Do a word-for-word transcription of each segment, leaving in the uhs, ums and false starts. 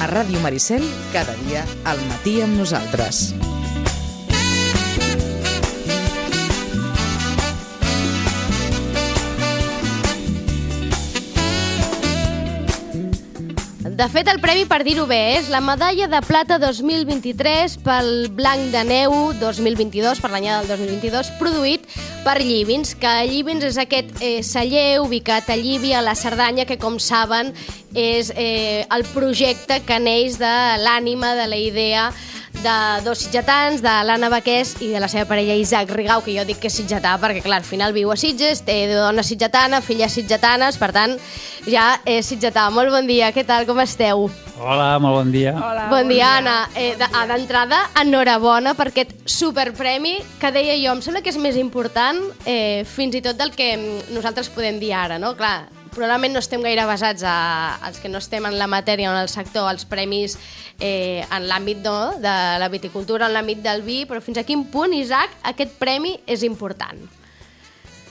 A Ràdio Maricel, cada dia al matí amb nosaltres. De fet, el premi, per dir-ho bé, és la medalla de plata dos mil vint-i-tres pel Blanc de Neu dos mil vint-i-dos, per l'anyada del dos mil vint-i-dos, produït per Llivins, que Llivins és aquest eh, celler ubicat a Llívia, a la Cerdanya, que, com saben, és eh, el projecte que neix de l'ànima, de la idea de dos sitgetans, de l'Anna Baqués i de la seva parella Isaac Rigau, que jo dic que és sitgetà perquè, clar, al final viu a Sitges, té dona sitgetana, filles sitgetanes, per tant, ja és sitgetà. Molt bon dia, què tal, com esteu? Hola, molt bon dia. Hola, bon, bon dia, Anna. Eh, D'entrada, enhorabona per aquest superpremi que deia jo, em sembla que és més important eh, fins i tot del que nosaltres podem dir ara, no? Clar, probablement no estem gaire basats a, als que no estem en la matèria o en el sector, als premis eh, en l'àmbit no, de la viticultura, en l'àmbit del vi, però fins a quin punt, Isaac, aquest premi és important?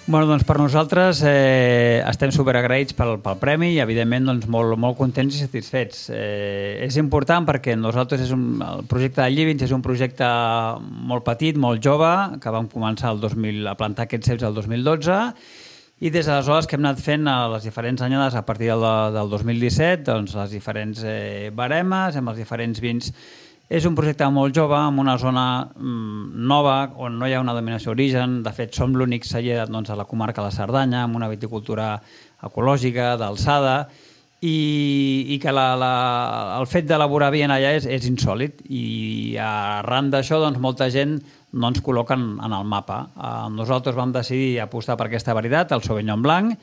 Bueno, doncs per nosaltres eh, estem superagraïts pel, pel premi i, evidentment, doncs, molt, molt contents i satisfets. Eh, és important perquè nosaltres, és un, el projecte de Llivins és un projecte molt petit, molt jove, que vam començar el dos mil, a plantar aquests ceps el dos mil dotze, i des d'aleshores que hem anat fent a les diferents anyades a partir del, del dos mil disset, doncs les diferents eh, baremes, amb els diferents vins. És un projecte molt jove, en una zona mm, nova, on no hi ha una dominació d'origen. De fet, som l'únic celler doncs, a la comarca de la Cerdanya, amb una viticultura ecològica, d'alçada, i, i que la, la, el fet d'elaborar vi allà és, és insòlid. I arran d'això, doncs, molta gent no ens col·loquen en el mapa. Eh, nosaltres vam decidir apostar per aquesta varietat, el Sauvignon Blanc,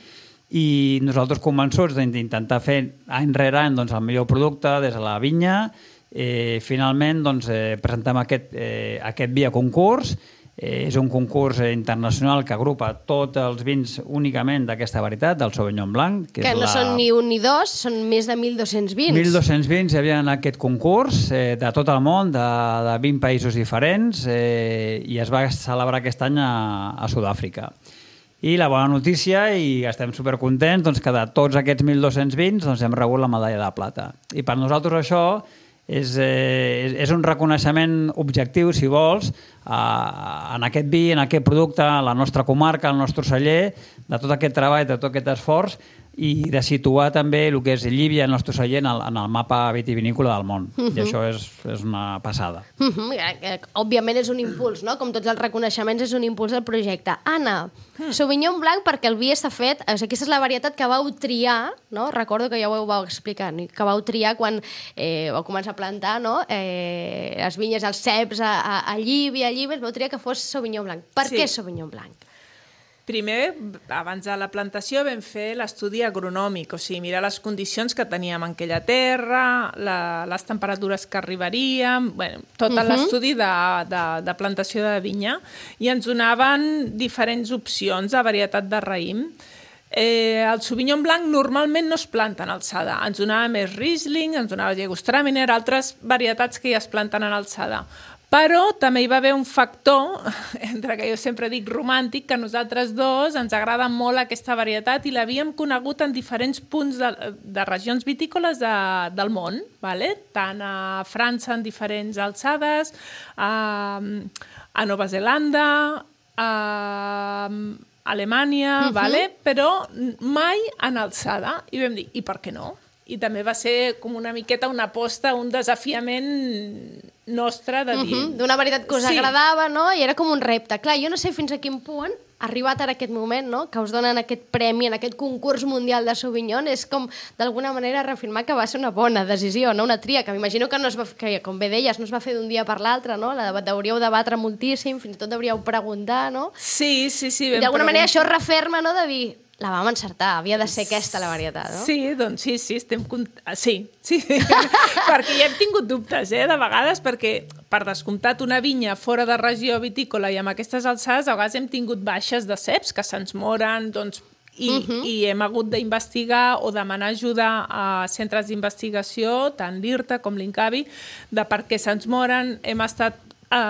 i nosaltres convençuts d'intentar fer any rere any doncs, el millor producte des de la vinya. Eh, finalment doncs, eh, presentem aquest, eh, aquest vi a concurs. Eh, és un concurs eh, internacional que agrupa tots els vins únicament d'aquesta varietat, del Sauvignon Blanc. Que, que és no la... són ni un ni dos, són més de mil dos-cents vins. mil dos-cents vins hi havia en aquest concurs eh, de tot el món, de, de vint països diferents, eh, i es va celebrar aquest any a, a Sud-àfrica. I la bona notícia, i estem supercontents, doncs, que de tots aquests mil dos-cents vins doncs, hem rebut la medalla de plata. I per nosaltres això és, eh, és un reconeixement objectiu, si vols, eh, en aquest vi, en aquest producte, a la nostra comarca, al nostre celler, de tot aquest treball, de tot aquest esforç, i de situar també el que és Llívia, el nostre celler, en el, en el mapa vitivinícola del món. Uh-huh. I això és, és una passada. Uh-huh. Òbviament és un impuls, no? Com tots els reconeixements, és un impuls del projecte. Anna, uh-huh. Sauvignon Blanc, perquè el vi està fet, o sigui, aquesta és la varietat que vau triar, no? Recordo que ja ho vau explicar, que vau triar quan eh, vau començar a plantar, no? Eh, les vinyes, els ceps a, a, a Llívia, a Llívia, vau triar que fos Sauvignon Blanc. Per sí. què Sauvignon Blanc? Primer, abans de la plantació, vam fer l'estudi agronòmic, o sigui, mirar les condicions que teníem en aquella terra, la, les temperatures que arribaríem, bueno, tot uh-huh. l'estudi de, de, de plantació de vinya, i ens donaven diferents opcions de varietat de raïm. Eh, el Sauvignon Blanc normalment no es planta en alçada, ens donava més Riesling, ens donava Jägertraminer, altres varietats que ja es planten en alçada. Però també hi va haver un factor, entre que jo sempre dic romàntic, que nosaltres dos ens agrada molt aquesta varietat i l'havíem conegut en diferents punts de, de regions vitícoles de, del món, vale? Tant a França en diferents alçades, a, a Nova Zelanda, a Alemanya, uh-huh. vale? Però mai en alçada. I vam dir, i per què no? I també va ser com una miqueta una aposta, un desafiament nostre de dir... Uh-huh. D'una varietat que us sí. agradava, no? I era com un repte. Clar, jo no sé fins a quin punt, arribat ara aquest moment, no? Que us donen aquest premi en aquest concurs mundial de Sauvignon, és com, d'alguna manera, reafirmar que va ser una bona decisió, no? Una tria, que m'imagino que, no es va, que, com bé deies, no es va fer d'un dia per l'altre, no? La hauríeu debatre moltíssim, fins i tot hauríeu preguntar, no? Sí, sí, sí. I d'alguna manera això referma, no?, de dir... La vam encertar, havia de ser aquesta la varietat, no? Sí, doncs sí, sí, estem... Cont... Sí, sí. Perquè ja hem tingut dubtes, eh, de vegades, perquè per descomptat una vinya fora de regió vitícola i amb aquestes alçades, a vegades hem tingut baixes de ceps que se'ns moren, doncs, i, uh-huh. i hem hagut d'investigar o demanar ajuda a centres d'investigació, tant l'I R T A com l'INCAVI, de per què se'ns moren. Hem estat eh,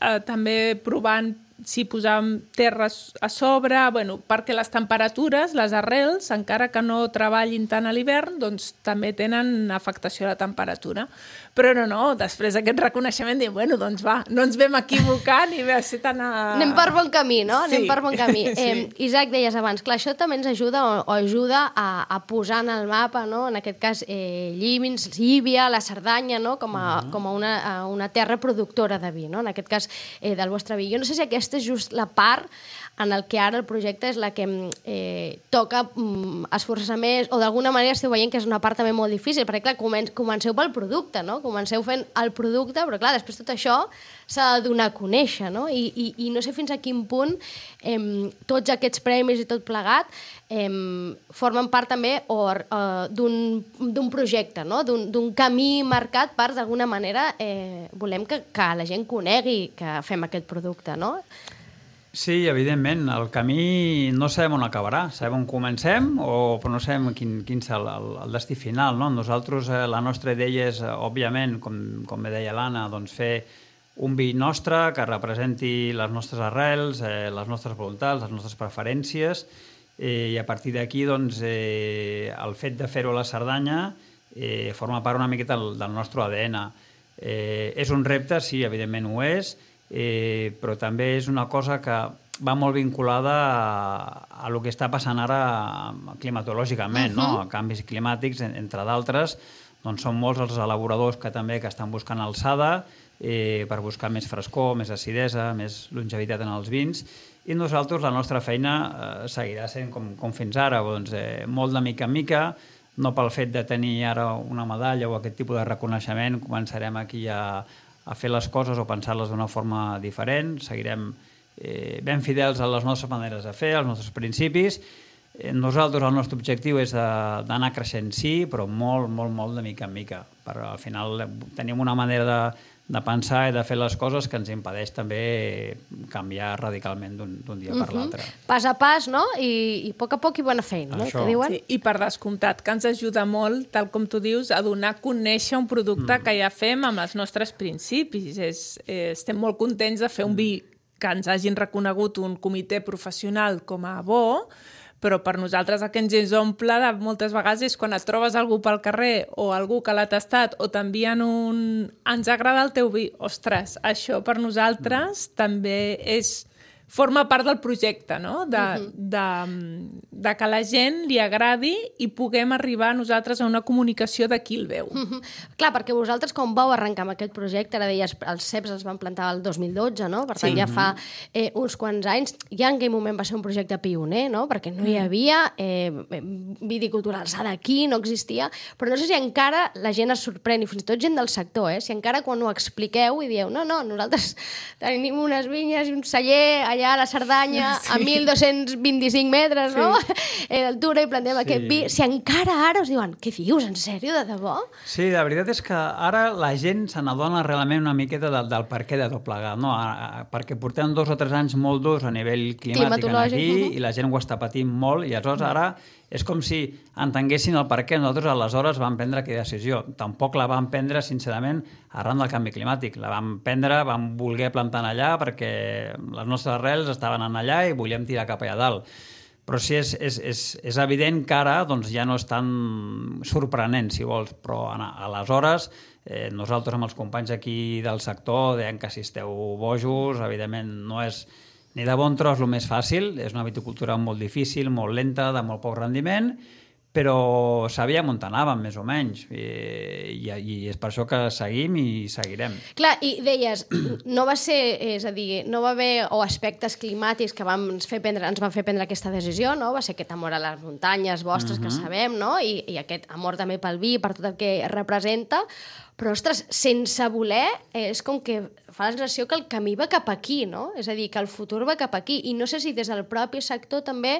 eh, també provant si posàvem terra a sobre, bueno, perquè les temperatures, les arrels, encara que no treballin tant a l'hivern, doncs també tenen afectació a la temperatura. Però no, no, després d'aquest reconeixement diem, bueno, doncs va, no ens vam equivocar ni va ser tan a... Anem per bon camí, no? Sí. Anem per bon camí. Sí. Eh, Isaac, deies abans, clar, això també ens ajuda o, o ajuda a, a posar en el mapa, no? En aquest cas, eh, Llívins, Llívia, la Cerdanya, no? Com a, uh-huh. com a, una, a una terra productora de vi, no? En aquest cas, eh, del vostre vi. Jo no sé si aquesta és just la part en el que ara el projecte és la que eh, toca mm, esforçar més, o d'alguna manera esteu veient que és una part també molt difícil, perquè clar, comen comenceu pel producte, no? Comenceu fent el producte, però clar, després tot això s'ha de donar a conèixer, no? I, i, i no sé fins a quin punt eh, tots aquests premis i tot plegat eh, formen part també uh, d'un projecte, no? D'un camí marcat per, d'alguna manera, eh, volem que, que la gent conegui que fem aquest producte, no? Sí, evidentment. El camí no sabem on acabarà. Sabem on comencem, o, però no sabem quin, quin és el, el, el destí final. No? Nosaltres, eh, la nostra idea és, eh, òbviament, com, com bé deia l'Anna, doncs fer un vi nostre que representi les nostres arrels, eh, les nostres voluntats, les nostres preferències, eh, i a partir d'aquí doncs, eh, el fet de fer-ho a la Cerdanya eh, forma part una miqueta del, del nostre A D N. Eh, és un repte, sí, evidentment ho és, Eh, però també és una cosa que va molt vinculada a, a lo que està passant ara climatològicament, uh-huh. no? A canvis climàtics, entre d'altres. Doncs són molts els elaboradors que també que estan buscant alçada eh, per buscar més frescor, més acidesa, més longevitat en els vins, i nosaltres la nostra feina eh, seguirà sent com, com fins ara, doncs, eh, molt de mica en mica, no pel fet de tenir ara una medalla o aquest tipus de reconeixement, començarem aquí a a fer les coses o pensar-les d'una forma diferent, seguirem eh, ben fidels a les nostres maneres de fer, als nostres principis. Eh, nosaltres, el nostre objectiu és d'anar creixent, sí, però molt, molt, molt de mica en mica. Per, al final tenim una manera de, de pensar i de fer les coses que ens impedeix també canviar radicalment d'un dia uh-huh. per l'altre. Pas a pas, no? I, i a poc a poc i bona feina, no? Això. Que diuen? Sí, i per descomptat, que ens ajuda molt, tal com tu dius, a donar a conèixer un producte mm. que ja fem amb els nostres principis. És, eh, estem molt contents de fer un vi que ens hagin reconegut un comitè professional com a bo, però per nosaltres el que ens omple de moltes vegades és quan et trobes algú pel carrer o algú que l'ha tastat o t'envien un... ens agrada el teu vi. Ostres, això per nosaltres mm. també és... forma part del projecte, no? De, uh-huh. de, de que la gent li agradi i puguem arribar nosaltres a una comunicació de qui el veu. Uh-huh. Clar, perquè vosaltres com vau arrencar amb aquest projecte, ara deies, els ceps els van plantar el dos mil dotze, no? Per tant, sí. ja fa eh, uns quants anys. Ja en aquell moment va ser un projecte pioner, no? Perquè no hi havia eh, viticultura alçada aquí, no existia, però no sé si encara la gent es sorprèn, i fins i tot gent del sector, eh? Si encara quan ho expliqueu i dieu, no, no, nosaltres tenim unes vinyes i un celler allà a la Cerdanya, sí. a mil dos-cents vint-i-cinc metres, sí. no? Eh, d'altura, i plantem sí. aquest vi. Si encara ara us diuen, què dius, en sèrio, de debò? Sí, la veritat és que ara la gent se n'adona realment una miqueta del, del per què de tot plegat, no? A, a, perquè portem dos o tres anys molt durs a nivell climàtic aquí, uh-huh. i la gent ho està patint molt, i aleshores ara és com si entenguessin el per què. Nosaltres aleshores vam prendre aquella decisió. Tampoc la vam prendre, sincerament, arran del canvi climàtic. La vam prendre, vam voler plantar allà perquè les nostres arrels estaven allà i volíem tirar cap allà dalt. Però sí, és, és, és, és evident que ara doncs, ja no és tan sorprenent, si vols, però aleshores eh, nosaltres amb els companys aquí del sector deien que si esteu bojos, evidentment no és ni de bon tros el més fàcil, és una viticultura molt difícil, molt lenta, de molt poc rendiment, però sabíem on anàvem, més o menys, i, i, i és per això que seguim i seguirem. Clar, i deies, no va ser, és a dir, no va haver o aspectes climàtics que vam fer prendre, ens van fer prendre aquesta decisió, no? Va ser aquest amor a les muntanyes vostres, uh-huh. que sabem, no? I, i aquest amor també pel vi, per tot el que representa, però, ostres, sense voler, és com que fa la sensació que el camí va cap aquí, no? És a dir, que el futur va cap aquí. I no sé si des del propi sector també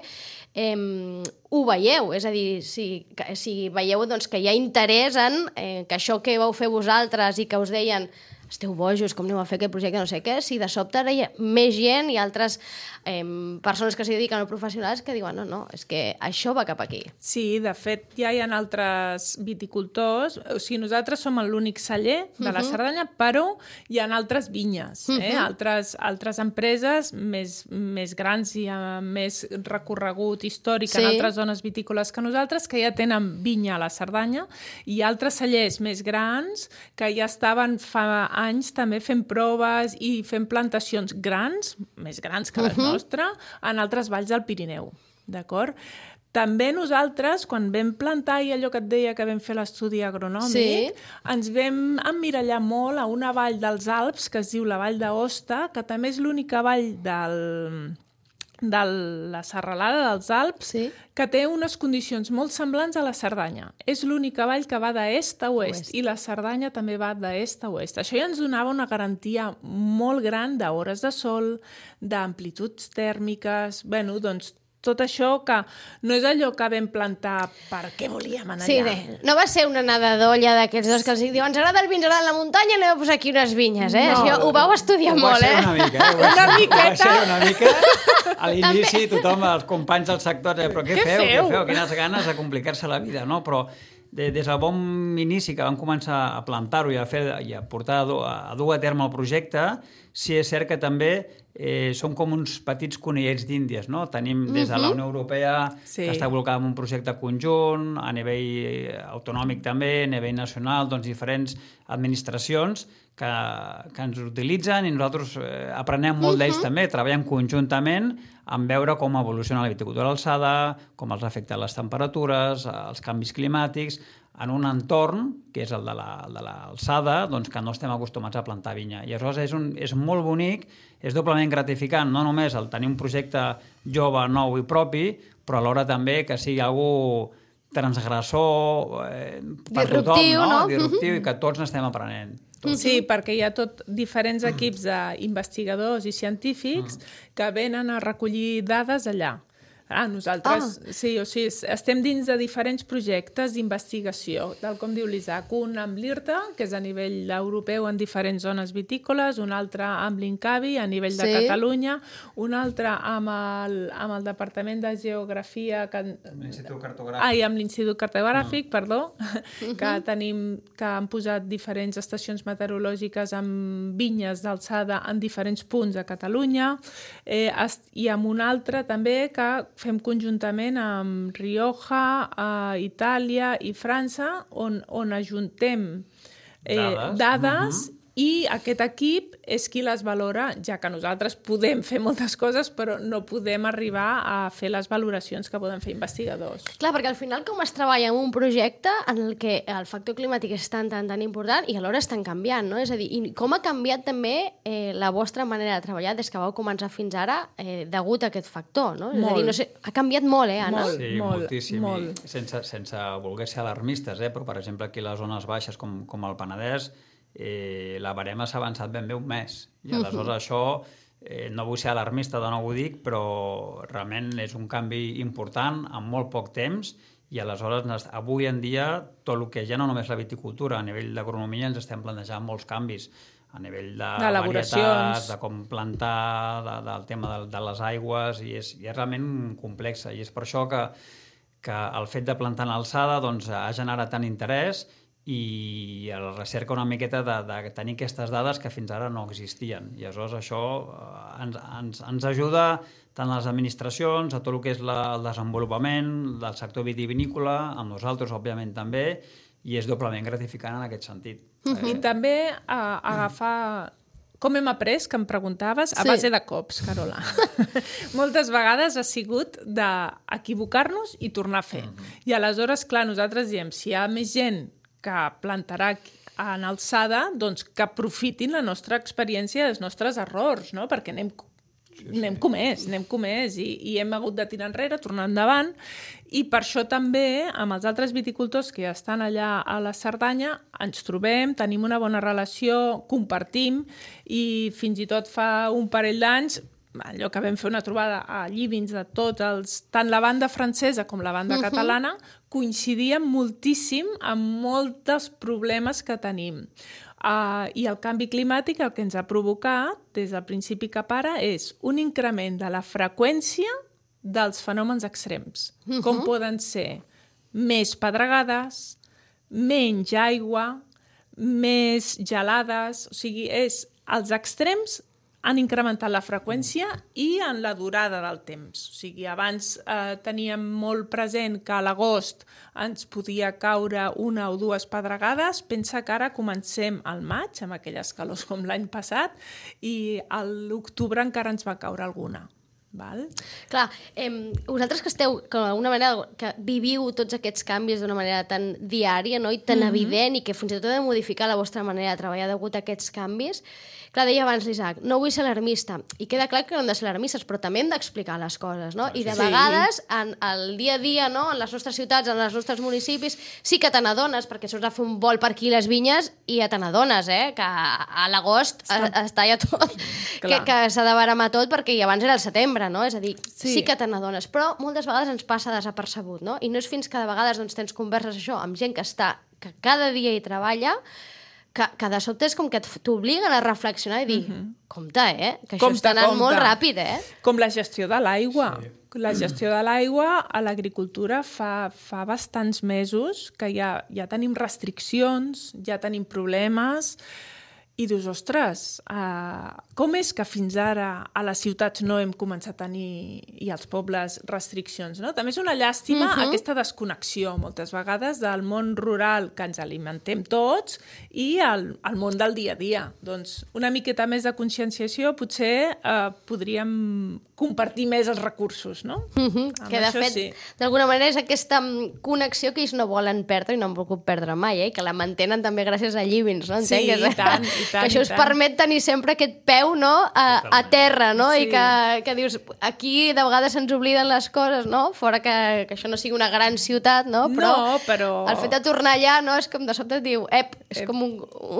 eh, ho veieu. És a dir, si, si veieu doncs, que hi ha interès en eh, que això que vau fer vosaltres i que us deien esteu bojos, com aneu a fer aquest projecte, no sé què, si de sobte ara hi ha més gent i altres eh, persones que s'hi dediquen o professionals que diuen, no, no, és que això va cap aquí. Sí, de fet, ja hi ha altres viticultors, o sigui, nosaltres som l'únic celler de la Cerdanya, però hi ha altres vinyes, eh? uh-huh. altres, altres empreses més, més grans i amb més recorregut històric sí. en altres zones vitícoles que nosaltres, que ja tenen vinya a la Cerdanya, i altres cellers més grans que ja estaven fa anys també fent proves i fent plantacions grans, més grans que les uh-huh. nostres, en altres valls del Pirineu, d'acord? També nosaltres, quan vam plantar, i allò que et deia que vam fer l'estudi agronòmic, sí. ens vam emmirallar molt a una vall dels Alps, que es diu la Vall d'Aosta, que també és l'única vall del... de la serralada dels Alps, sí. que té unes condicions molt semblants a la Cerdanya. És l'única vall que va d'est a oest, oest, i la Cerdanya també va d'est a oest. Això ja ens donava una garantia molt gran d'hores de sol, d'amplituds tèrmiques, bueno, doncs tot això que no és allò que vam plantar perquè volíem anar sí, allà. Sí, no va ser una nada d'olla d'aquests dos que els diuen ens agrada el vi, ens agrada la muntanya, anem a posar aquí unes vinyes, eh? No, això ho vau estudiar ho molt, eh? Una mica, eh? Una miqueta. Va ser una mica. A l'inici tothom, els companys del sector, eh, però què, què feu, feu? Què feu? Quines ganes de complicar-se la vida, no? Però de, des del bon inici que vam començar a plantar-ho i a, fer, i a portar a dur, a dur a terme el projecte, sí és cert que també eh, som com uns petits conillets d'Índies, no? Tenim des de la Unió Europea sí. que està col·locada en un projecte conjunt, a nivell autonòmic també, a nivell nacional, doncs diferents administracions que, que ens utilitzen i nosaltres eh, aprenem molt d'ells també, treballem conjuntament en veure com evoluciona la viticultura d'alçada, com els afecten les temperatures, els canvis climàtics, en un entorn, que és el de l'alçada, la, doncs que no estem acostumats a plantar vinya. I aleshores és, un, és molt bonic, és doblement gratificant, no només el tenir un projecte jove, nou i propi, però alhora també que sigui algú transgressor eh, per disruptiu, tothom, no? no? Disruptiu, uh-huh. i que tots n'estem aprenent. Tot. Sí, perquè hi ha tot diferents equips d'investigadors i científics uh-huh. que venen a recollir dades allà. Ah, nosaltres, ah. sí, o sigui, estem dins de diferents projectes d'investigació, tal com diu l'Isaac, un amb l'I R T A, que és a nivell europeu en diferents zones vitícoles, un altre amb l'INCAVI a nivell sí. de Catalunya, un altre amb el, amb el Departament de Geografia... Que... Amb l'Institut Cartogràfic. Ah, i amb l'Institut Cartogràfic, no. perdó, uh-huh. que tenim, que han posat diferents estacions meteorològiques amb vinyes d'alçada en diferents punts a Catalunya, eh, i amb un altre també que fem conjuntament amb Rioja, a Itàlia i França, on, on ajuntem eh, dades, dades uh-huh. i aquest equip és qui les valora, ja que nosaltres podem fer moltes coses, però no podem arribar a fer les valoracions que poden fer investigadors. Clar, perquè al final com es treballa en un projecte en el que el factor climàtic és tan, tan, tan important i alhora estan canviant, no? És a dir, i com ha canviat també eh, la vostra manera de treballar des que vau començar fins ara eh, degut a aquest factor, no? És molt. A dir, no sé, ha canviat molt, eh, Anna? Molt, sí, molt, moltíssim. molt. I sense, sense voler ser alarmistes, eh? Però per exemple aquí a les zones baixes com, com el Penedès, Eh, la barema s'ha avançat ben bé un mes i aleshores uh-huh. això eh, no vull ser alarmista de nou ho dic, però realment és un canvi important en molt poc temps i aleshores avui en dia tot el que ja no només la viticultura, a nivell d'agronomia ens estem plantejant molts canvis a nivell de, de varietats, de com plantar, de, del tema de, de les aigües i és, i és realment complex i és per això que, que el fet de plantar en alçada doncs, ha generat tant interès i la recerca una miqueta de, de tenir aquestes dades que fins ara no existien. I aleshores això ens, ens, ens ajuda tant les administracions, a tot el que és la, el desenvolupament del sector vitivinícola, amb nosaltres, òbviament, també, i és doblement gratificant en aquest sentit. Uh-huh. Eh? I també a, a agafar... Com hem après, que em preguntaves, a sí. base de cops, Carola. Moltes vegades ha sigut d'equivocar-nos i tornar a fer. Uh-huh. I aleshores, clar, nosaltres diem, si hi ha més gent que plantarà en alçada, doncs que aprofitin la nostra experiència i els nostres errors, no? Perquè anem, sí, sí. anem comès, anem comès i, i hem hagut de tirar enrere, tornar endavant, i per això també amb els altres viticultors que ja estan allà a la Cerdanya ens trobem, tenim una bona relació, compartim i fins i tot fa un parell d'anys allò que vam fer una trobada a Llivins de tots els... Tant la banda francesa com la banda uh-huh. catalana coincidien moltíssim amb molts dels problemes que tenim. Uh, I el canvi climàtic el que ens ha provocat, des del principi cap ara, és un increment de la freqüència dels fenòmens extrems, uh-huh. com poden ser més pedregades, menys aigua, més gelades, o sigui, és, els extrems han incrementat la freqüència i en la durada del temps. O sigui, abans eh, teníem molt present que a l'agost ens podia caure una o dues pedregades. Pensa que ara comencem al maig, amb aquelles calors com l'any passat, i a l'octubre encara ens va caure alguna. Val? Clar, eh, vosaltres que esteu, que d'alguna manera, que viviu tots aquests canvis d'una manera tan diària, no? I tan mm-hmm. evident, i que fins i tot heu de modificar la vostra manera de treballar degut a aquests canvis. Clar, deia abans l'Isaac, no vull ser alarmista, i queda clar que no hem de ser alarmistes, però també hem d'explicar les coses, no? I de sí. vegades, en el dia a dia, no? En les nostres ciutats, en els nostres municipis, sí que te n'adones, perquè surts a fer un vol per aquí les vinyes i ja te n'adones, eh? Que a l'agost Està... està ja tot, que, que s'ha de baramar tot, perquè abans era el setembre, no? És a dir, sí, sí que te n'adones, però moltes vegades ens passa desapercebut, no? I no és fins que de vegades doncs, tens converses això amb gent que està, que cada dia hi treballa, que, que de sobte és com que t'obliguen a reflexionar i dir, mm-hmm. compte, eh? Que això compte, està anant compte. Molt ràpid, eh? Com la gestió de l'aigua. Sí. La gestió de l'aigua a l'agricultura fa, fa bastants mesos que ja, ja tenim restriccions, ja tenim problemes, i dius, ostres, uh, com és que fins ara a les ciutats no hem començat a tenir, i als pobles, restriccions, no? També és una llàstima uh-huh. aquesta desconnexió, moltes vegades, del món rural que ens alimentem tots i el, el món del dia a dia. Doncs una miqueta més de conscienciació, potser uh, podríem compartir més els recursos, no? Uh-huh. Que, de fet, sí. d'alguna manera és aquesta connexió que ells no volen perdre i no han volgut perdre mai, eh? Que la mantenen també gràcies a Llivins, no? Sí, i tant, i tant, que això us permet tenir sempre aquest peu, no? a, a terra, no? Sí. I que, que dius, aquí de vegades se'ns obliden les coses, no? Fora que, que això no sigui una gran ciutat, no? Però, no, però... el fet de tornar allà, no? És com de sobte et diu, ep, és ep. com un,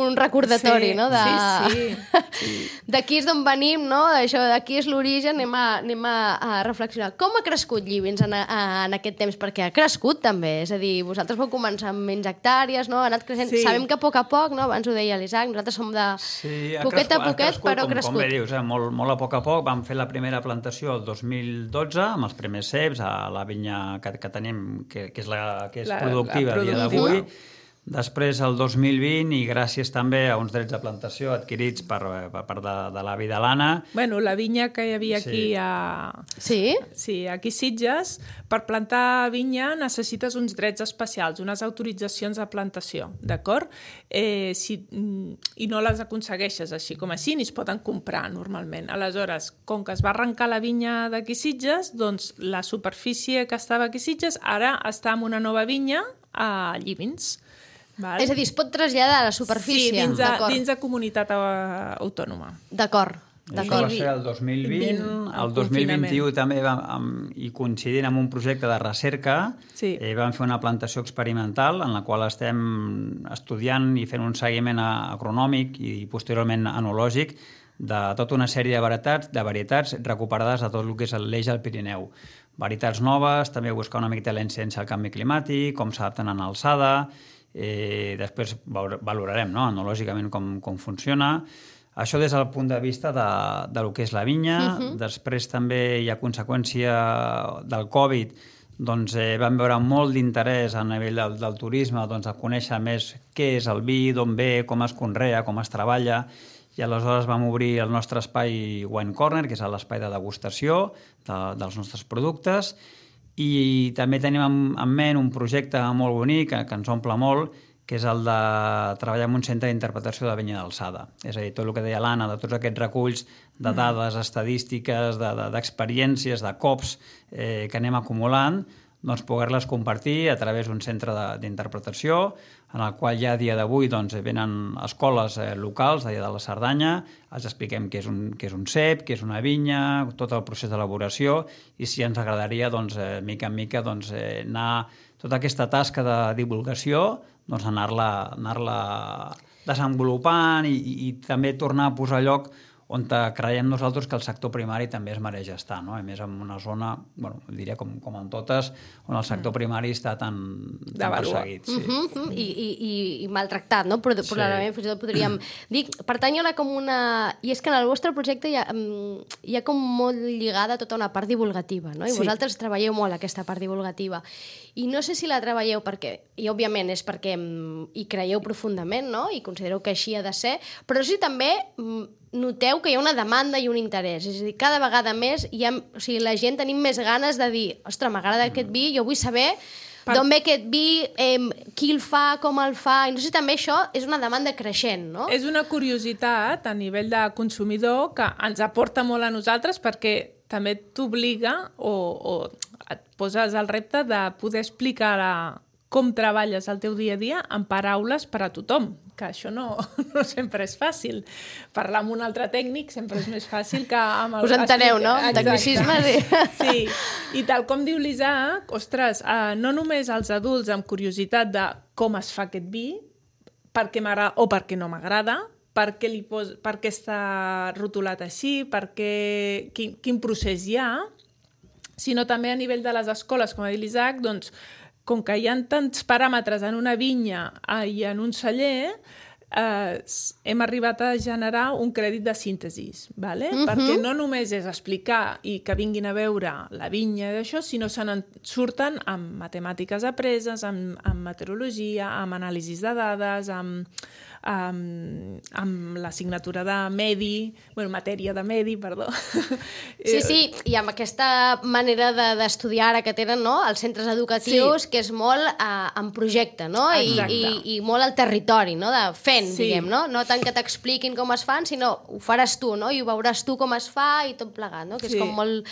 un recordatori, sí, no? De... Sí, sí. D'aquí és d'on venim, no? Això, d'aquí és l'origen, anem, a, anem a, a reflexionar. Com ha crescut Llivins en, a, en aquest temps? Perquè ha crescut també, és a dir, vosaltres vau començar amb menys hectàrees, no? Ha anat creixent. Sí. Sabem que a poc a poc, no? Abans ho deia l'Isaac, nosaltres som de sí, poquet crescut, a poquet, crescut, però ha com, crescut. Com bé dius, eh? molt, molt a poc a poc. Vam fer la primera plantació el dos mil dotze, amb els primers ceps, a la vinya que, que tenim, que, que és, la, que és la, productiva a dia d'avui. Després, el dos mil vint, i gràcies també a uns drets de plantació adquirits per, per part de, de l'avi de l'Anna. Bueno, la vinya que hi havia aquí sí. a... Sí? Sí, aquí a Sitges, per plantar vinya necessites uns drets especials, unes autoritzacions de plantació, d'acord? Eh, si, I no les aconsegueixes així com així, ni es poden comprar normalment. Aleshores, com que es va arrencar la vinya d'aquí a Sitges, doncs la superfície que estava aquí a Sitges ara està en una nova vinya a Llivins. Val? És a dir, es pot traslladar a la superfície? Sí, dins de, dins de comunitat autònoma. D'acord. Això va ser el dos mil vint, el, el dos mil vint-i-u també vam, amb, i coincidint amb un projecte de recerca, sí. eh, vam fer una plantació experimental en la qual estem estudiant i fent un seguiment agronòmic i posteriorment enològic de tota una sèrie de varietats, de varietats recuperades de tot el que és l'eix del Pirineu. Varietats noves, també buscar una miqueta la incidència al canvi climàtic, com s'adapten en alçada. Eh, després valorarem, no? Enològicament com, com funciona. Això des del punt de vista de, de lo que és la vinya. Uh-huh. Després també hi ha conseqüència del Covid, doncs eh, vam veure molt d'interès a nivell del, del turisme, doncs, a conèixer més què és el vi, d'on ve, com es conrea, com es treballa, i aleshores vam obrir el nostre espai Wine Corner, que és l'espai de degustació de, dels nostres productes. I també tenim en, en ment un projecte molt bonic que, que ens omple molt, que és el de treballar en un centre d'interpretació de vinya d'alçada. És a dir, tot el que deia l'Anna, de tots aquests reculls de dades estadístiques, de, de, d'experiències, de cops eh, que anem acumulant, doncs poder-les compartir a través d'un centre d'interpretació, en el qual ja a dia d'avui doncs, venen escoles eh, locals d'allà de la Cerdanya, els expliquem què és, un, què és un cep, què és una vinya, tot el procés d'elaboració, i si ens agradaria, doncs, eh, mica en mica, doncs, eh, anar tota aquesta tasca de divulgació, doncs, anar-la anar-la desenvolupant i, i, i també tornar a posar a lloc on creiem nosaltres que el sector primari també es mereix estar, no? A més, en una zona, bueno, diria com, com en totes, on el sector primari està tan, tan perseguit. Sí. Uh -huh, i, i, i maltractat, no? Però sí. Probablement fins i tot podríem dir... Pertany a com una... I és que en el vostre projecte hi ha, hi ha com molt lligada tota una part divulgativa, no? I sí. vosaltres treballeu molt aquesta part divulgativa. I no sé si la treballeu perquè... I òbviament és perquè hi creieu profundament, no? I considereu que així ha de ser, però sí també noteu que hi ha una demanda i un interès. És a dir, cada vegada més hi ha, o sigui, la gent tenim més ganes de dir ostres, m'agrada mm. aquest vi, jo vull saber per... d'on ve aquest vi, eh, qui el fa, com el fa... I no sé si també això és una demanda creixent, no? És una curiositat a nivell de consumidor que ens aporta molt a nosaltres perquè també t'obliga o, o et poses el repte de poder explicar a com treballes el teu dia a dia en paraules per a tothom, que això no, no sempre és fàcil. Parlar amb un altre tècnic sempre és més fàcil que amb... El... Us enteneu, no? Tecnicismes. I... Sí, i tal com diu l'Isaac, ostres, eh, no només els adults amb curiositat de com es fa aquest vi, per què m'agrada o per què no m'agrada, per què, li pos... per què està rotulat així, per què... quin, quin procés hi ha, sinó també a nivell de les escoles, com ha dit l'Isaac, doncs, com que hi ha tants paràmetres en una vinya i en un celler, eh, hem arribat a generar un crèdit de síntesi, ¿vale? Uh-huh. Perquè no només és explicar i que vinguin a veure la vinya d'això, sinó se n'en surten amb matemàtiques apreses, amb, amb meteorologia, amb anàlisis de dades, amb, amb, amb l'assignatura de medi, bueno, matèria de medi, perdó. Sí, sí, i amb aquesta manera d'estudiar ara que tenen, no?, els centres educatius, sí. que és molt uh, en projecte, no?, I, i, i molt al territori, no?, de fent, sí. diguem, no? No tant que t'expliquin com es fan, sinó ho faràs tu, no?, i ho veuràs tu com es fa i tot plegat, no?, que és sí. com molt...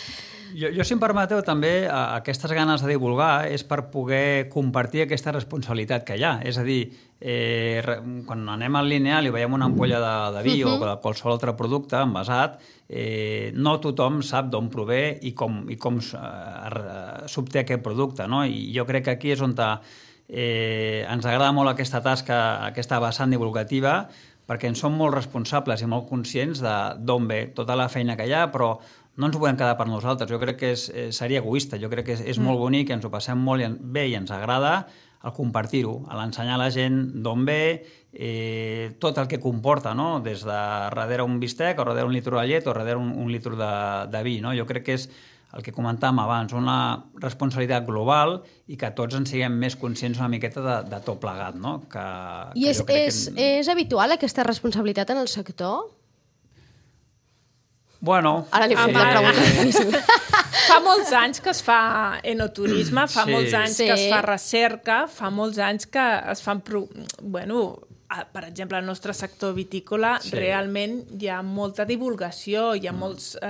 Jo, jo, si em permeteu, també, aquestes ganes de divulgar és per poder compartir aquesta responsabilitat que hi ha. És a dir, eh, quan anem al lineal i veiem una ampolla de, de vi uh-huh. o de qualsevol altre producte envasat, eh, no tothom sap d'on prové i com, i com eh, s'obté aquest producte, no? I jo crec que aquí és on eh, ens agrada molt aquesta tasca, aquesta vessant divulgativa, perquè en som molt responsables i molt conscients d'on ve tota la feina que hi ha, però no ens ho podem quedar per nosaltres. Jo crec que és, seria egoista. Jo crec que és, és mm. molt bonic, ens ho passem molt i bé i ens agrada el compartir-ho, l'ensenyar a la gent d'on ve, eh, tot el que comporta, no? Des de darrere un bistec, o darrere un litre de llet, o darrere un, un litre de, de vi, no? Jo crec que és el que comentàvem abans, una responsabilitat global i que tots en siguem més conscients una miqueta de, de tot plegat, no? Que, I que és, és, que... és habitual aquesta responsabilitat en el sector? Bueno... Ara li faig la pregunta difícil. Fa molts anys que es fa enoturisme, fa sí. molts anys sí. que es fa recerca, fa molts anys que es fan... Pro... Bueno, per exemple, al nostre sector vitícola sí. realment hi ha molta divulgació, hi ha mm. molts eh,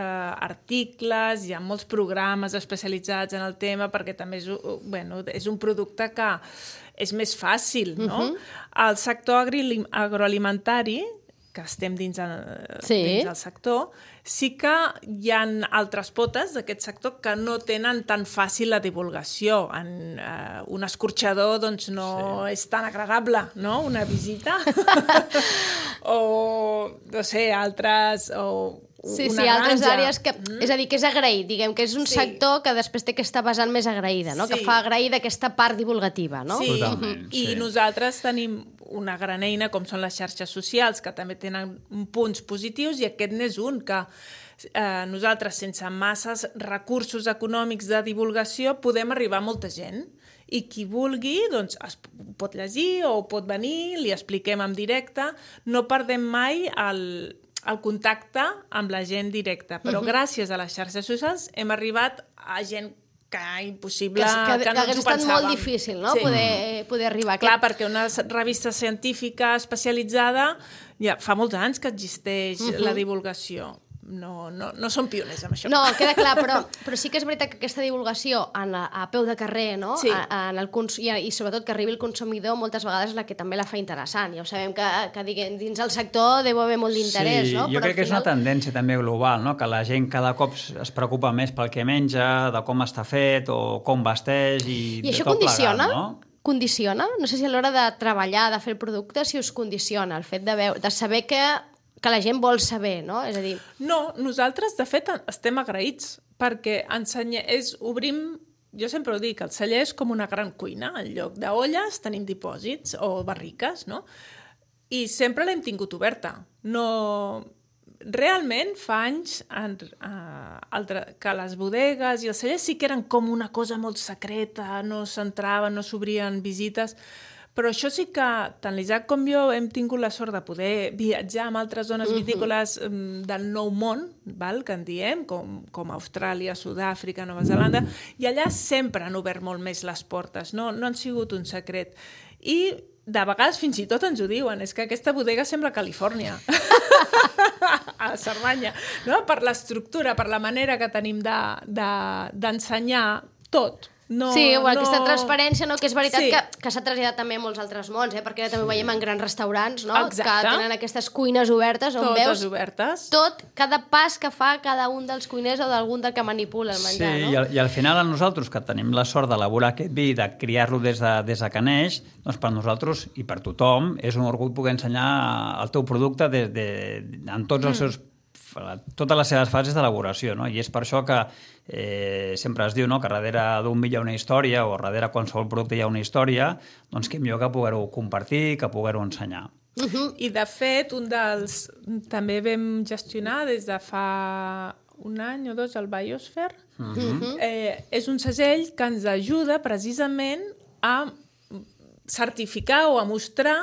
articles, hi ha molts programes especialitzats en el tema, perquè també és, bueno, és un producte que és més fàcil, no? Mm-hmm. El sector agroalimentari, que estem dins, el, sí. dins del sector, sí que hi ha altres potes d'aquest sector que no tenen tan fàcil la divulgació. En, uh, un escorxador doncs, no sí. és tan agradable, no?, una visita. o, no sé, altres... O, Sí, sí, altres àrees que... Mm. És a dir, que és agraït, diguem, que és un sí. sector que després té aquesta vessant més agraïda, no? Sí. Que fa agraïda aquesta part divulgativa, no? Sí, totalment. I sí. nosaltres tenim una gran eina com són les xarxes socials, que també tenen punts positius, i aquest n'és un, que eh, nosaltres, sense masses recursos econòmics de divulgació, podem arribar a molta gent. I qui vulgui, doncs, es pot llegir o pot venir, li expliquem en directe, no perdem mai el... el contacte amb la gent directa. Però uh-huh. gràcies a les xarxes socials hem arribat a gent que impossible, que, que, que no ens ho pensàvem. Que hagués estat molt difícil, no?, sí. poder, poder arribar. Clar, aquest... perquè una revista científica especialitzada ja fa molts anys que existeix uh-huh. la divulgació. No, no, no som pioners amb això. No, queda clar, però, però sí que és veritat que aquesta divulgació en la, a peu de carrer, no? Sí. A, en el cons i, i sobretot que arribi el consumidor, moltes vegades és la que també la fa interessant. Ja ho sabem que, que diguem, dins el sector deu haver molt d'interès, sí, no? Jo però crec final... que és una tendència també global, no? Que la gent cada cop es preocupa més pel que menja, de com està fet o com vesteix i, I de això tot condiciona? plegat, no? Condiciona? No sé si a l'hora de treballar, de fer el producte, si us condiciona el fet de, veure, de saber que que la gent vol saber, no? És a dir... No, nosaltres, de fet, estem agraïts, perquè ensenye... és, obrim... Jo sempre ho dic, el celler és com una gran cuina. En lloc d'olles tenim dipòsits o barriques, no? I sempre l'hem tingut oberta. No... Realment, fa anys en, uh, altre, que les bodegues i els cellers sí que eren com una cosa molt secreta, no s'entraven, no s'obrien visites, però això sí que tant l'Isaac com jo hem tingut la sort de poder viatjar amb altres zones vitícoles um, del nou món, val, que en diem, com, com Austràlia, Sud-àfrica, Nova Zelanda, i allà sempre han obert molt més les portes, no, no han sigut un secret. I de vegades fins i tot ens ho diuen, és que aquesta bodega sembla Califòrnia, a Cerdanya, no? Per l'estructura, per la manera que tenim d'ensenyar de, de, tot. No, sí, bueno, no... aquesta transparència, no, que és veritat sí. que, que s'ha traslladat també a molts altres mons, eh? Perquè també ho veiem en grans restaurants, no? Exacte. Que tenen aquestes cuines obertes on Totes veus obertes. tot, cada pas que fa cada un dels cuiners o d'algun del que manipula el menjar, sí, no? I al, i al final a nosaltres, que tenim la sort d'elaborar aquest vi, de criar-lo des, de, des de que neix, doncs per nosaltres i per tothom és un orgull poder ensenyar el teu producte de, de, en tots els seus totes les seves fases d'elaboració, no? I és per això que eh, sempre es diu, no?, que darrere d'un vi hi ha una història o darrere qualsevol producte hi ha una història, doncs que millor que poder-ho compartir, que poder-ho ensenyar. Uh-huh. I de fet, un dels... també vam gestionar des de fa un any o dos el Biosphere. Uh-huh. eh, és un segell que ens ajuda precisament a certificar o a mostrar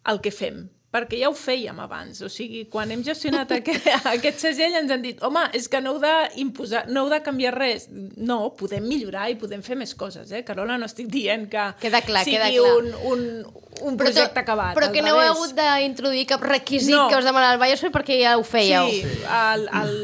el que fem, perquè ja ho fèiem abans. O sigui, quan hem gestionat aquest, aquest segell ens han dit, home, és que no heu d'imposar, no heu de canviar res. No, podem millorar i podem fer més coses, eh? Carola, no estic dient que queda clar, sigui queda clar. un, un, un projecte però, acabat. Però que no heu hagut d'introduir cap requisit no. que us demanava el Biosphere perquè ja ho fèieu. Sí, el, el,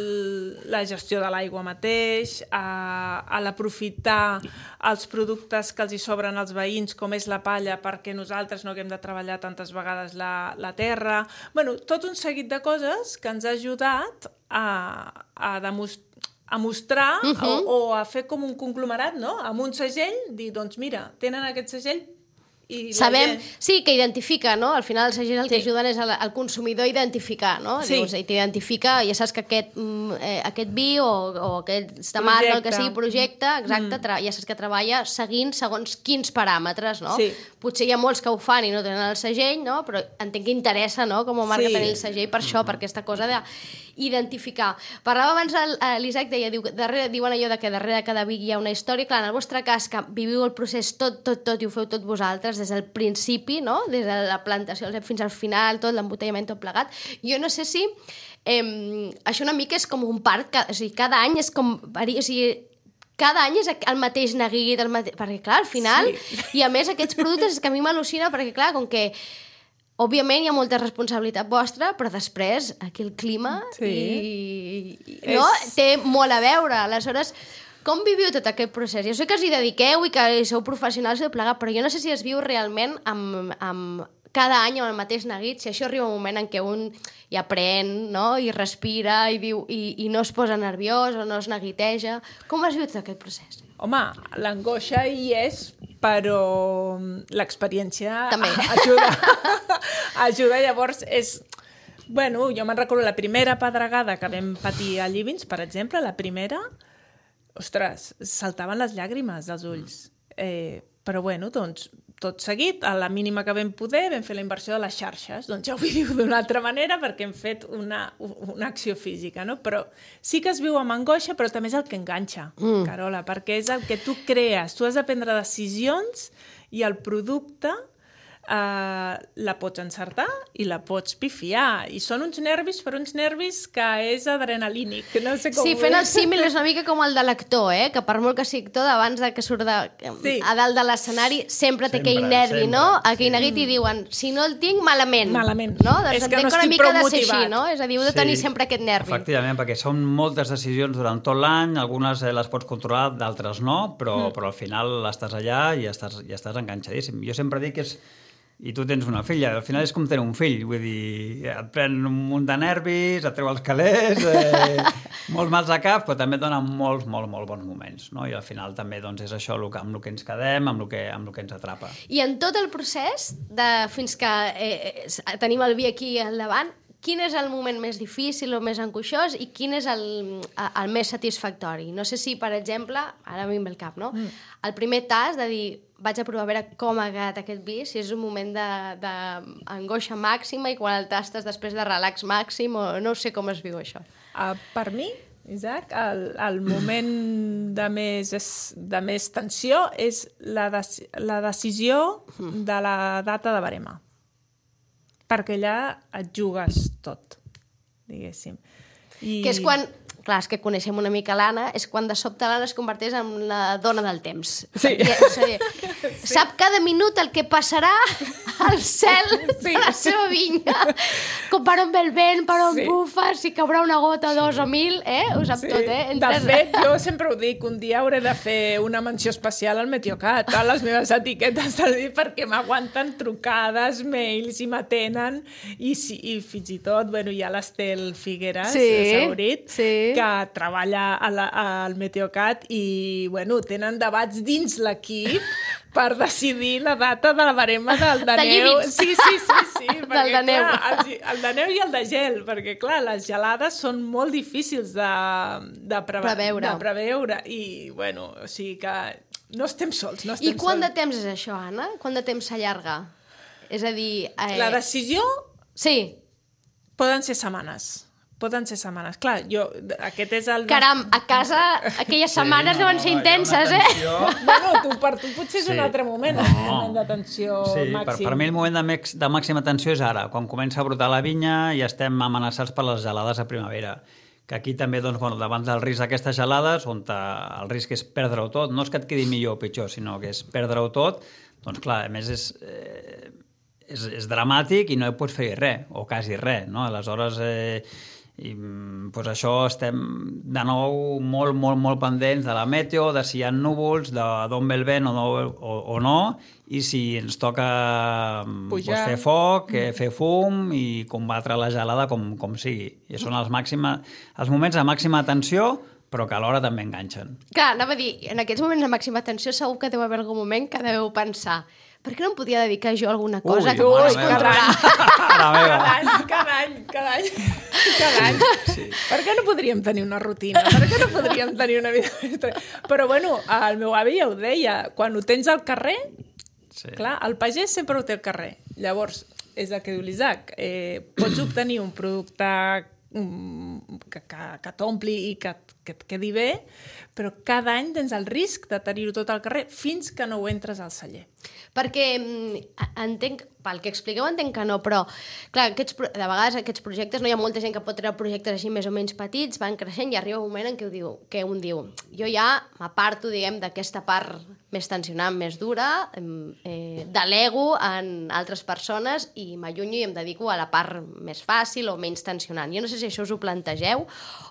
la gestió de l'aigua mateix, a, a l'aprofitar els productes que els hi sobren als veïns, com és la palla, perquè nosaltres no haguem de treballar tantes vegades la, la terra. Bueno, tot un seguit de coses que ens ha ajudat a, a demostrar a mostrar uh-huh. o, o a fer com un conglomerat, no? Amb un segell, dir, doncs mira, tenen aquest segell i sabem, gent... sí, que identifica, no? Al final els segells el que sí. ajuden és al, al consumidor a identificar, no? Sí. Dius, i t'identifica, ja saps que aquest, eh, aquest vi o, o aquesta marca, el que sigui, projecte, exacte, mm. ja saps que treballa seguint segons quins paràmetres, no? Sí. Potser hi ha molts que ho fan i no tenen el segell, no? Però entenc que interessa, no?, com a marca sí. tenir el segell per això, per aquesta cosa d'identificar. Parlava abans l'Isaac, deia, diu, darrere, diuen allò de que darrere cada vi hi ha una història. Clar, en el vostre cas, que viviu el procés tot, tot, tot i ho feu tot vosaltres, des del principi, no?, des de la plantació fins al final, tot l'embotellament, tot plegat. Jo no sé si eh, això una mica és com un parc, que, o sigui, cada any és com... O sigui, cada any és el mateix neguit, el mate... perquè clar, al final, sí. I a més aquests productes és que a mi m'al·lucina perquè clar, com que òbviament hi ha molta responsabilitat vostra, però després aquí el clima sí. i, i, no? És... té molt a veure. Aleshores, com viviu tot aquest procés? Jo sé que us hi dediqueu i que sou professionals i plegat, però jo no sé si es viu realment amb, amb cada any amb el mateix neguit, si això arriba un moment en què un hi aprèn, no?, i respira i, diu, i, i no es posa nerviós o no es neguiteja. Com has viu tot aquest procés? Home, l'angoixa hi és, però l'experiència també ajuda. ajuda, llavors és... Bueno, jo me'n recordo la primera pedregada que vam patir a Llivins, per exemple, la primera... Ostres, saltaven les llàgrimes dels ulls. Eh, però bueno, doncs, tot seguit, a la mínima que vam poder, vam fer la inversió de les xarxes. Doncs ja ho viu d'una altra manera perquè hem fet una, una acció física, no? Però sí que es viu amb angoixa, però també és el que enganxa, mm. Carola, perquè és el que tu crees. Tu has de prendre decisions i el producte... Uh, la pots encertar i la pots pifiar. I són uns nervis, però uns nervis que és adrenalínic. No sé com sí, fent el símil és una mica com el de l'actor, eh? Que per molt que sigui actor, abans de que surt de, sí. a dalt de l'escenari, sempre té aquell nervi, sempre, no? Aquell sí. neguit i diuen, si no el tinc, malament. Malament. No? Doncs és que no una estic mica prou de ser motivat. així, no? És a dir, heu de tenir sí. sempre aquest nervi. Efectivament, perquè són moltes decisions durant tot l'any, algunes les pots controlar, d'altres no, però, mm. però al final estàs allà i estàs, i estàs enganxadíssim. Jo sempre dic que és... I tu tens una filla, al final és com tenir un fill, vull dir, et pren un munt de nervis, et treu els calés, eh, molts mals de cap, però també et dona molts, molt, molt bons moments, no? I al final també doncs, és això el que, amb el que ens quedem, amb el que, amb el que ens atrapa. I en tot el procés, de, fins que eh, tenim el vi aquí al davant, quin és el moment més difícil o més angoixós i quin és el, el més satisfactori. No sé si, per exemple, ara m'hi ve el cap, no? Mm. El primer tas de dir, vaig a provar a veure com ha quedat aquest vi, si és un moment d'angoixa màxima i quan el tastes després de relax màxim, o no sé com es viu això. Uh, per mi, Isaac, el, el moment de més, de més tensió és la, de, la decisió de la data de barema. Perquè allà et jugues tot, diguéssim. I... Que és quan... Clar, és que coneixem una mica l'Anna, és quan de sobte l'Anna es converteix en la dona del temps. Sí. Perquè, o sigui, sí. Sap cada minut el que passarà al cel sí. de la seva vinya, com per on ve el vent, per on sí. bufa, si caurà una gota, sí. dos o mil, eh? Ho sap sí. tot, eh? Entre... De fet, jo sempre ho dic, un dia hauré de fer una menció especial al Meteocat, a les meves etiquetes del vi, perquè m'aguanten trucades, mails, i m'atenen, i, sí, i fins i tot, bueno, hi ha l'Estel Figueres, sí. Saurit, sí. que treballa a la, al Meteocat i, bueno, tenen debats dins l'equip per decidir la data de la barema del de, de neu. Sí, sí, sí, sí. perquè, del de neu. Clar, el, el de neu i el de gel, perquè, clar, les gelades són molt difícils de, de, preve preveure. de preveure. I, bueno, o sigui que no estem sols. No estem I quant sols. de temps és això, Anna? Quant de temps s'allarga? És a dir... Eh... La decisió... Sí. Poden ser setmanes. Poden ser setmanes. Clar, jo... Aquest és el... Caram, a casa aquelles setmanes sí, no, deuen ser intenses, eh? Bueno, tu, per tu potser és sí. un altre moment, no. el moment de tensió sí, màxim. Per, per mi el moment de, mex, de màxima tensió és ara, quan comença a brotar la vinya i estem amenaçats per les gelades a primavera. Que aquí també, doncs, bueno, davant del risc d'aquestes gelades, on el risc és perdre-ho tot, no és que et quedi millor o pitjor, sinó que és perdre-ho tot, doncs clar, a més és... Eh, és, és dramàtic i no hi pots fer res, o quasi res, no? Aleshores... Eh, i doncs això estem de nou molt, molt, molt pendents de la meteo, de si hi ha núvols, d'on ve el vent o no, o, o no, i si ens toca doncs, fer foc, mm. fer fum i combatre la gelada com, com sigui. I són els, màxima, els moments de màxima tensió, però que alhora també enganxen. Clar, anava a dir, en aquests moments de màxima tensió segur que deu haver algun moment que deveu pensar per què no em podia dedicar jo a alguna cosa Ui, que pogués controlar? Cada any, cada any, cada any, cada any. Sí. Per què no podríem tenir una rutina? Per què no podríem tenir una vida? Però, bueno, el meu avi ja ho deia, quan ho tens al carrer, sí. clar, el pagès sempre ho té al carrer. Llavors, és el que diu l'Isaac, eh, pots obtenir un producte que, que, que t'ompli i que, que et quedi bé, però cada any tens el risc de tenir-ho tot al carrer fins que no ho entres al celler. Perquè entenc, pel que expliqueu entenc que no, però clar, aquests, de vegades aquests projectes, no hi ha molta gent que pot treure projectes així més o menys petits, van creixent i arriba un moment en què, diu, que un diu jo ja m'aparto, diguem, d'aquesta part més tensionant, més dura, eh, delego en altres persones i m'allunyo i em dedico a la part més fàcil o menys tensionant. Jo no sé si això us ho plantegeu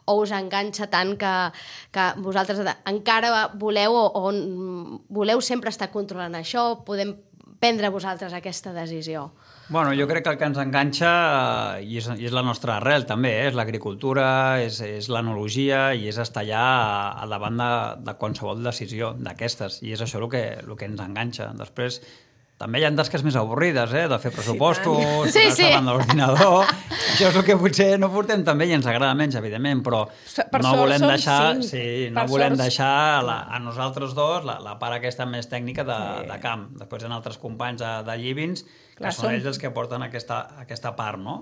o us enganxa tant que, que vosaltres encara voleu o, o voleu sempre estar controlant això, podem prendre vosaltres aquesta decisió? Bueno, jo crec que el que ens enganxa, i és, i és la nostra arrel també, eh? És l'agricultura, és, és l'enologia i és estar allà a davant de, de qualsevol decisió d'aquestes. I és això el que, el que ens enganxa. Després, també hi ha tasques més avorrides, eh? De fer pressupostos, sí, sí. davant de l'ordinador. Això és el que potser no portem també i ens agrada menys, evidentment, però per no volem deixar, cinc. sí, no per volem sort... deixar a, la, a nosaltres dos la, la part aquesta més tècnica de, sí. de camp. Després hi ha altres companys de, de Llivins que Clar, són, són ells els que porten aquesta, aquesta part, no?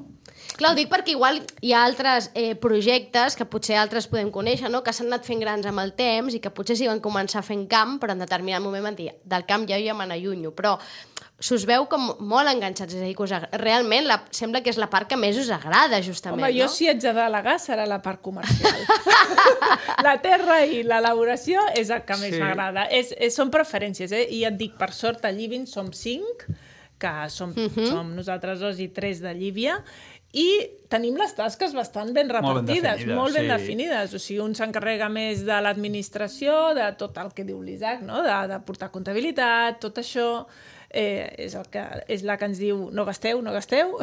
Clar, ho dic perquè igual hi ha altres eh, projectes que potser altres podem conèixer, no? Que s'han anat fent grans amb el temps i que potser sí van començar fent camp, però en determinat moment van dir, del camp ja ja me n'allunyo, però s'us veu com molt enganxats, és a dir, que us, realment la, sembla que és la part que més us agrada, justament, Home, jo no? si haig de delegar serà la part comercial. La terra i l'elaboració és el que més sí. m'agrada. És, és, són preferències, eh? I et dic, per sort, a Llivin som cinc, que som, uh-huh. som nosaltres dos i tres de Llívia, i tenim les tasques bastant ben repartides, molt ben definides. Molt ben sí. definides. O sigui, un s'encarrega més de l'administració, de tot el que diu l'Isaac, no? de, de portar comptabilitat, tot això... Eh, és, el que, és la que ens diu no gasteu, no gasteu.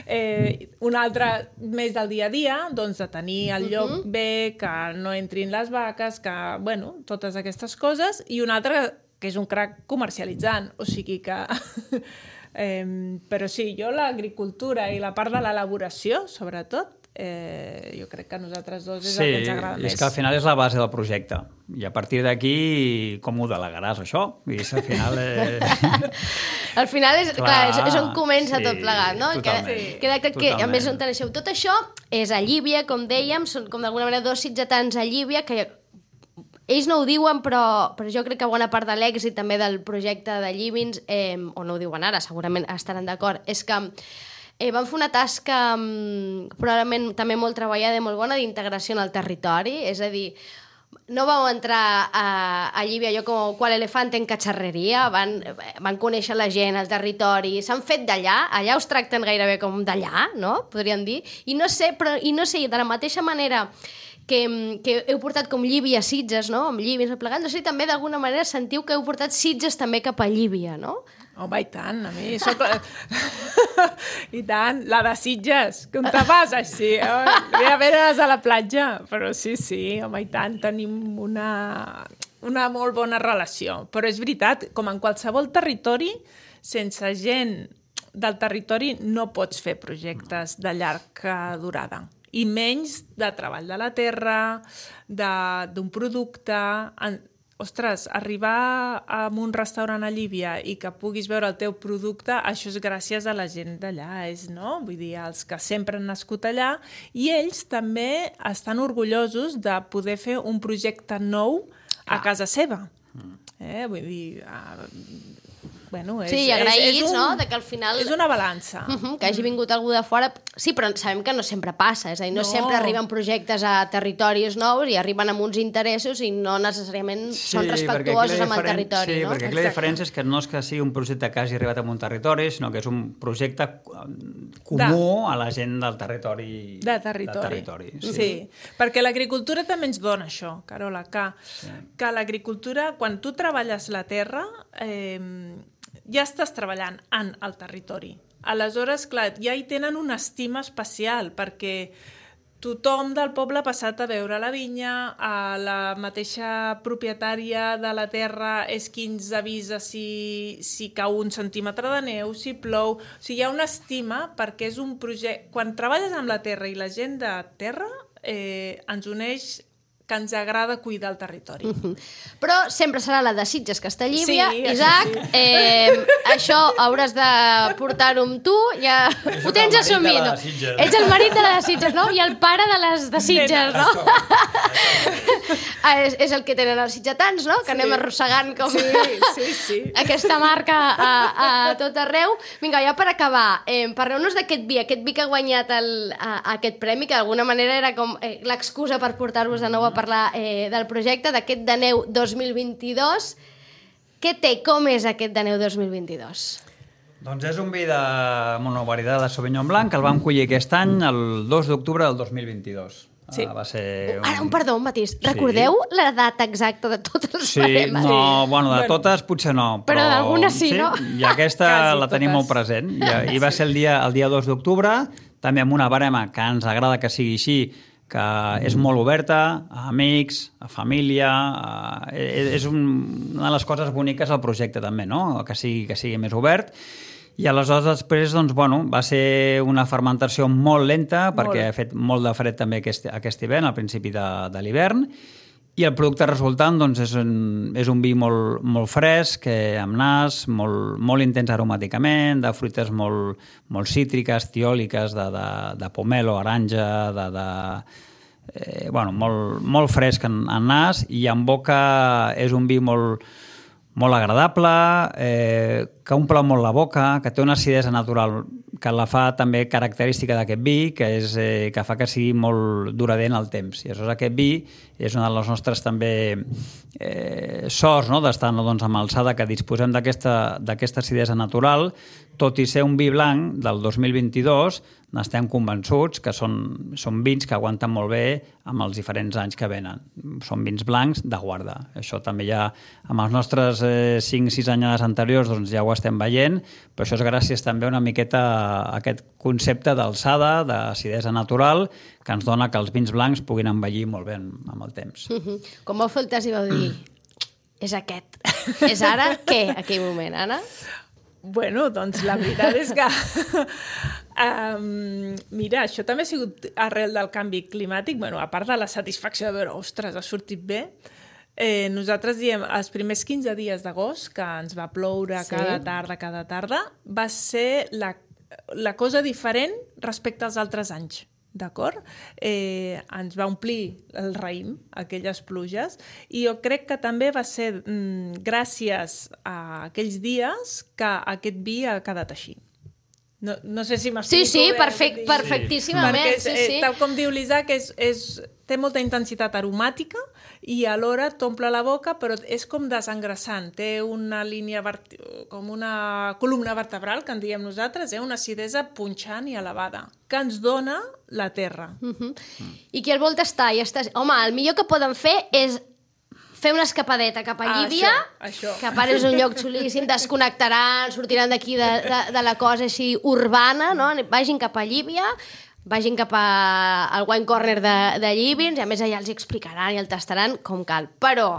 eh, un altre més del dia a dia, doncs de tenir el lloc uh-huh. bé, que no entrin les vaques, que, bueno, totes aquestes coses, i un altre que és un crac comercialitzant, o sigui que... eh, però sí, jo l'agricultura i la part de l'elaboració, sobretot, Eh, jo crec que a nosaltres dos és sí, el que ens agrada més. Sí, és que al final és la base del projecte. I a partir d'aquí, com ho delegaràs, això? I al final... Eh... al final és, clar, clar, és, és on comença sí, tot plegat, no? Totalment. Que, que, que, que a més on teneixeu. Tot això és a Llívia, com dèiem, són com d'alguna manera dos sitgetans a Llívia, que ells no ho diuen, però, però jo crec que bona part de l'èxit també del projecte de Llívins, eh, o no ho diuen ara, segurament estaran d'acord, és que Eh, van fer una tasca um, probablement també molt treballada i molt bona d'integració en el territori, és a dir, no vau entrar a, a Llívia jo com qual elefant en catxarreria, van, van conèixer la gent, el territori, s'han fet d'allà, allà us tracten gairebé com d'allà, no? Podríem dir, i no sé, però, i no sé, de la mateixa manera que, que heu portat com Llívia a Sitges, no? Amb Llívia replegant, no sé, també d'alguna manera sentiu que heu portat Sitges també cap a Llívia, no? Home, i tant, a mi soc... I tant, la de Sitges, que on te vas així? Ve a veure's a la platja, però sí, sí, home, i tant, tenim una, una molt bona relació. Però és veritat, com en qualsevol territori, sense gent del territori no pots fer projectes de llarga durada. I menys de treball de la terra, d'un producte... Ostres, arribar a un restaurant a Llívia i que puguis veure el teu producte, això és gràcies a la gent d'allà, és, no? Vull dir, els que sempre han nascut allà, i ells també estan orgullosos de poder fer un projecte nou a casa seva. Eh? Vull dir... Uh, Bueno, és, sí, agraïts, és, és un, no?, de que al final... És una balança. Uh -huh, que hagi vingut algú de fora... Sí, però sabem que no sempre passa, és a dir, no, no sempre arriben projectes a territoris nous i arriben amb uns interessos i no necessàriament sí, són respectuosos amb el territori, sí, no? Sí, perquè aquí la diferència és que no és que sigui un projecte que hagi arribat a un territori, sinó que és un projecte comú de, a la gent del territori. De territori. De territori sí. sí, perquè l'agricultura també ens dona això, Carola, que, sí. que l'agricultura, quan tu treballes la terra... Eh, ja estàs treballant en el territori. Aleshores, clar, ja hi tenen una estima especial, perquè tothom del poble ha passat a veure la vinya, a la mateixa propietària de la terra és qui ens avisa si, si cau un centímetre de neu, si plou... O sigui, hi ha una estima perquè és un projecte... Quan treballes amb la terra i la gent de terra, eh, ens uneix que ens agrada cuidar el territori. Uh-huh. Però sempre serà la de Sitges, Castellívia. Sí, Isaac, sí. eh, això hauràs de portar-ho amb tu. Ja... Ho tens assumit. No? Ets el marit de la de Sitges, no? I el pare de les de Sitges, no? és, és el que tenen els sitgetans, no? Que sí. Anem arrossegant com sí, sí, sí. aquesta marca a, a tot arreu. Vinga, ja per acabar, eh, parleu-nos d'aquest vi, aquest vi que ha guanyat el, a, aquest premi, que d'alguna manera era com eh, l'excusa per portar-vos de nou a parlar eh, del projecte, d'aquest Daneu dos mil vint-i-dos. Què té? Com és aquest Daneu dos mil vint-i-dos? Doncs és un vi de monovarietat de Sauvignon Blanc que el vam collir aquest any, el dos d'octubre del dos mil vint-i-dos. Sí. Ah, va ser un... Ara, un perdó, un matís. Recordeu sí. la data exacta de totes les sí, baremes? no, bueno, de totes potser no. Però, però d'algunes sí, sí, no? I aquesta Quasi la tenim totes. molt present. I, i va ser el dia, el dia dos d'octubre, també amb una barema que ens agrada que sigui així, que és molt oberta a amics, a família, a... és un, una de les coses boniques del projecte també, no? Que sigui, que sigui més obert. I aleshores després, doncs, bueno, va ser una fermentació molt lenta, molt. Perquè ha fet molt de fred també aquest, aquest hivern, al principi de, de l'hivern, i el producte resultant doncs, és, un, és un vi molt, molt fresc, amb nas, molt, molt intens aromàticament, de fruites molt, molt cítriques, tiòliques, de, de, de pomelo, aranja, de... de eh, bueno, molt, molt fresc en, en nas, i en boca és un vi molt, molt agradable, eh, que omple molt la boca, que té una acidesa natural que la fa també característica d'aquest vi, que, és, eh, que fa que sigui molt duradent al temps. I aleshores aquest vi és una de les nostres també eh, sorts, no?, d'estar doncs, amb alçada, que disposem d'aquesta acidesa natural, tot i ser un vi blanc del dos mil vint-i-dos, n'estem convençuts que són, són vins que aguanten molt bé amb els diferents anys que venen. Són vins blancs de guarda. Això també ja, amb els nostres eh, cinc sis anyades anteriors, doncs ja ho estem veient, però això és gràcies també una miqueta a aquest concepte d'alçada, d'acidesa natural, que ens dona que els vins blancs puguin envellir molt bé amb el temps. Uh-huh. Com vau fer el test i vau dir... és aquest. És ara què, aquell moment, Anna? Bueno, doncs la veritat és que... um, mira, això també ha sigut arrel del canvi climàtic, bueno, a part de la satisfacció de veure, ostres, ha sortit bé, eh, nosaltres diem, els primers quinze dies d'agost, que ens va ploure sí. cada tarda, cada tarda, va ser la, la cosa diferent respecte als altres anys. D'acord? Eh, ens va omplir el raïm, aquelles pluges, i jo crec que també va ser mm, gràcies a aquells dies que aquest vi ha quedat així. No, no sé si m'explico Sí, sí, bé, perfect, sí. perfectíssimament. Perquè, sí, sí. Eh, tal com diu l'Isaac, és, és, té molta intensitat aromàtica i alhora t'omple la boca, però és com desengrassant. Té una línia, vert... com una columna vertebral, que en diem nosaltres, eh? Una acidesa punxant i elevada, que ens dona la terra. Uh -huh. mm. I qui el vol tastar i està... Home, el millor que poden fer és fer una escapadeta cap a Llívia, ah, això, això. que a part és un lloc xulíssim, desconnectaran, sortiran d'aquí de, de, de la cosa així urbana, no? Vagin cap a Llívia, vagin cap a, al Wine Corner de, de Llívins, i a més allà els explicaran i el tastaran com cal. Però,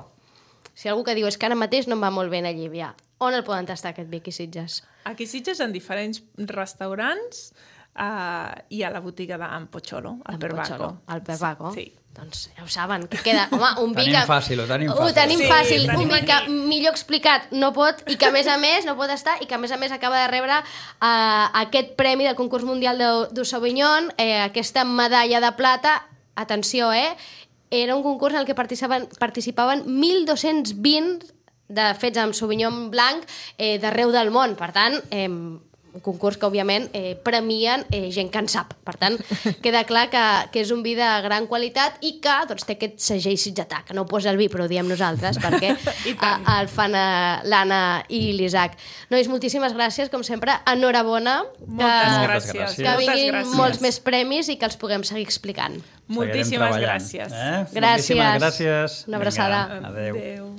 si algú que diu és que ara mateix no em va molt bé a Llívia, on el poden tastar aquest vi aquí a Sitges? Aquí a Sitges en diferents restaurants uh, i a la botiga d'en Pocholo, al Perbaco. Al Perbaco? Sí. Doncs ja ho saben, que queda... Home, un vi tenim que... fàcil, ho tenim fàcil. Ho tenim sí, fàcil, tenim un vi que millor explicat no pot, i que a més a més no pot estar, i que a més a més acaba de rebre uh, aquest premi del concurs mundial de, de Sauvignon, eh, aquesta medalla de plata. Atenció, eh? Era un concurs en el que participaven, participaven mil dos-cents vint de fets amb Sauvignon blanc eh, d'arreu del món. Per tant, eh, un concurs que, òbviament, eh, premien eh, gent que en sap. Per tant, queda clar que, que és un vi de gran qualitat i que doncs, té aquest segell sitgetà, que no ho posa el vi, però ho diem nosaltres, perquè a, el fan l'Anna i l'Isaac. Nois, moltíssimes gràcies, com sempre. Enhorabona. Moltes que, gràcies. Que vinguin gràcies. molts més premis i que els puguem seguir explicant. Moltíssimes gràcies. Eh? Gràcies. Moltíssimes gràcies. Una abraçada. Vinga, adéu. Adéu.